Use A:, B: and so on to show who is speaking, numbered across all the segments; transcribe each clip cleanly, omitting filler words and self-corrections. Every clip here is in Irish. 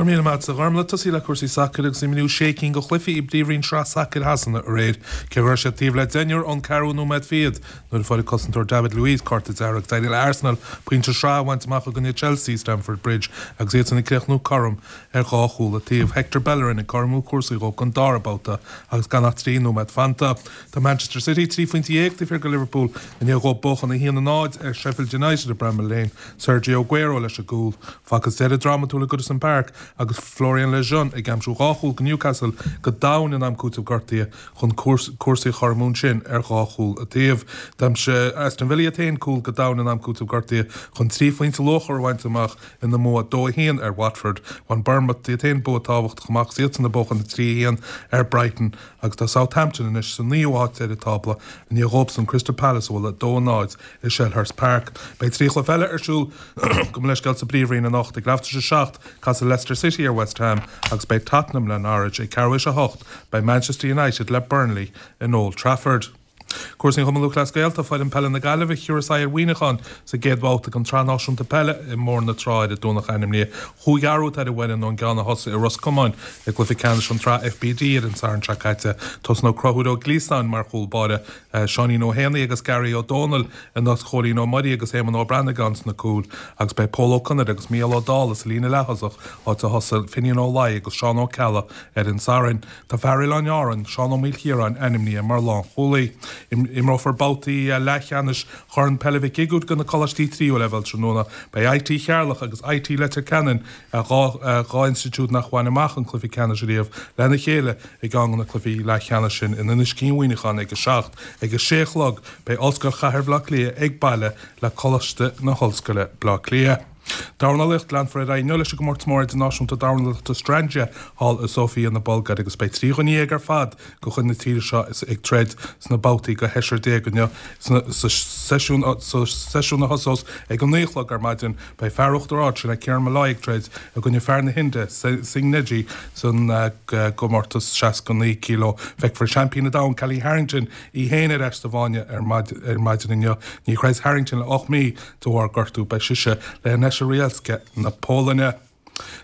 A: raibh míle maith agat, a Ghormlaith. Tosaí le cúrsaí sacair agus imríodh sé cinn de chluichí i bPríomhroinn Sraith Sacair Shasana aréir. Cé go raibh siad taobh le deichniúr ón ceathrú nóiméad fichead nuair a fuair an cosantóir David Luiz cárta dearg, d'éirigh le Arsenal pointe sraithe a bhaint amach i gcoinne Chelsea i Stamford Bridge agus iadsan ag críochnú cothrom ar dhá chúl an taobh. Hector Bellerin ag cothromú cúrsaí dhóibh don dara babhta agus gan ach 3 nóiméad fanta. Tá Manchester City 13 phointe taobh thiar de Liverpool i ndiaidh dhóibh buachan 1-0 ar Sheffield United i Bramall Lane. Sergio Aguero leis an gcúl. Facthas deireadh drámatúil i Goodison Park agus Florian Lejeune ag aimsiú dhá chúl do Newcastle go domhain in am cúitimh gortaithe chun cúrsaí a chothromú ansin ar dhá chúl an taobh. D'aimsigh Aston Villa iad féin cúl go domhain in am cúitimh gortaithe chun trí phointe luachmhara a bhaint amach ina mbua 2-1 ar Watford. Bhain Bournemouth iad féin bua tábhachtach amach agus iadsan ag buachan 3-1 ar Brighton agus tá Southampton anois sa naoú háit ar an tábla i ndiaidh dhóibhsan Crystal Palace a bhualadh 2-0 i Selhurst Park. Beidh 3 chluiche eile ar siúl gabh mo leithscéal sa bPríomhroinn anocht. Ag leathuair tar éis a 7, casfaidh Leicester City ar West Ham agus beidh Tottenham le Norwich. Ag ceathrú théis a 8, beidh Manchester United le Burnley in Old Trafford. Cúrsaí an Chumainn Lúthchleas Gael Tá foireann peile na Gaillimhe thiúrfas aghaidh ar Mhuineachán sa gcéad bhabhta den tSraith Náisiúnta Peile i mBóthar na Trá ar an Domhnach ainmnithe. Chúig athrú atá ar an bhfoireann ón gceann a thosaigh i Ros Comáin i gcluiche ceannais an tSraith FBD ar an Satharn seo caite. Tosnóidh Conchúr Ó Gliasáin mar chúl báire, Seáinín Ó hÉanaí agus Gary Ó Dónaill in áit Chóilín Ó Muirí agus Éamonn Ó Brannagáin sna cúil agus beidh Pól Ó Conaire agus Mícheál Ó Dálaigh sa líne leath-thosach, áit a thosaigh Finian Ó Laoi agus Seán Ó Ceallaigh ar an Satharn. Tá fear Oileáin Árann, Seán Ó Maoilchiaráin ainmnithe mar lánchúlaí. Imreofar babhtaí leathcheannais Chorn Peile Mhic Uigiúir do na coláistí tríú leibhéal tráthnóna. Beidh IT Cheatharlach agus IT Leitir Ceanainn, 2 institiúid nach bhain amach an cluiche ceannais riamh, lena chéile i gceann de na cluichí leathcheannais sin in Inis Cinn Mhuineacháin ag 7. Ag a sé a chlog beidh Ollscoil Chathair Bhaile Átha Cliath ag baile le Coláiste na hOllscoile, Bleá Cliath. Dornálaíocht, Leanfar ar aghaidh inniu leis an gcomórtas mór idirnáisiúnta dornálaíochta Strandja thall i Sofia na Bulgáire agus beidh 13 dhuine ar fad de chuid na tíre seo ag troid sna babhtaí go sheisear inniu. Sa seisiún a thosós ag a 9 a chlog ar maidin beidh fear Uachtar Ard, sin é Kieran Molloy ag troid i gcoinne fear na hIndia, Singh Negi san gcomórtas 69 kg. Feicfear seaimpín an domhain Kellie Harrington í féin ar ais sa bhfáinne ar maidin inniu. Níor throid Harrington le 8 mí de bharr gortú. Beidh sise le Aneta Rojewska na Polainne.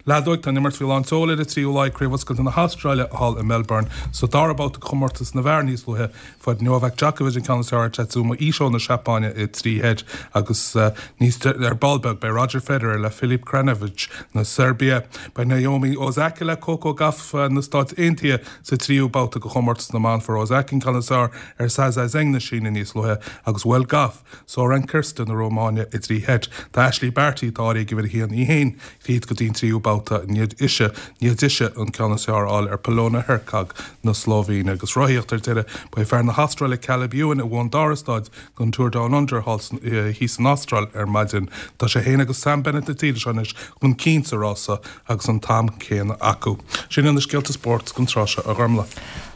A: Leadóg, Tá an imirt faoi lán tseoil ar an tríú lá ag Craobh Oscailte na hAstráile thall i Melbourne. Sa dara babhta de chomórtas na bhfear níos luaithe, fuair Novak Djokovic an ceann is fearr ar Tatsuma Ito na Seapáine i dtrí sheit agus níos ar ball beag beidh Roger Federer le Filip Krajinovic na Seirbia. Beidh Naomi Osaka le Coco Gauff na Stáit Aontaithe sa tríú babhta de chomórtas na mban. Fuair Osaka an ceann is fearr ar Saisai Zheng na Síne níos luaithe agus bhuail Gauff Sorana Cirstea na Rómáine i dtrí sheit. Tá Ashleigh Barty, atá áirithe ag uimhir a haon, í féin tríd go dtí an tríú babhta i ndiaidh ise, ndiaidh dise an ceann is fearr a fháil ar Polona Hercog na Slóivéine. Agus rothaíocht ar deireadh, ba é fear na hAstráile Caleb Ewan a bhuaigh an dara staid den Tour Down Under thall thíos san Astráil ar maidin. Tá sé féin agus Sam Bennett na tíre seo anois chun cinn sa rása agus an t-am céanna acu. Sin iad na scéalta spóirt don tráth seo, a Ghormlaith.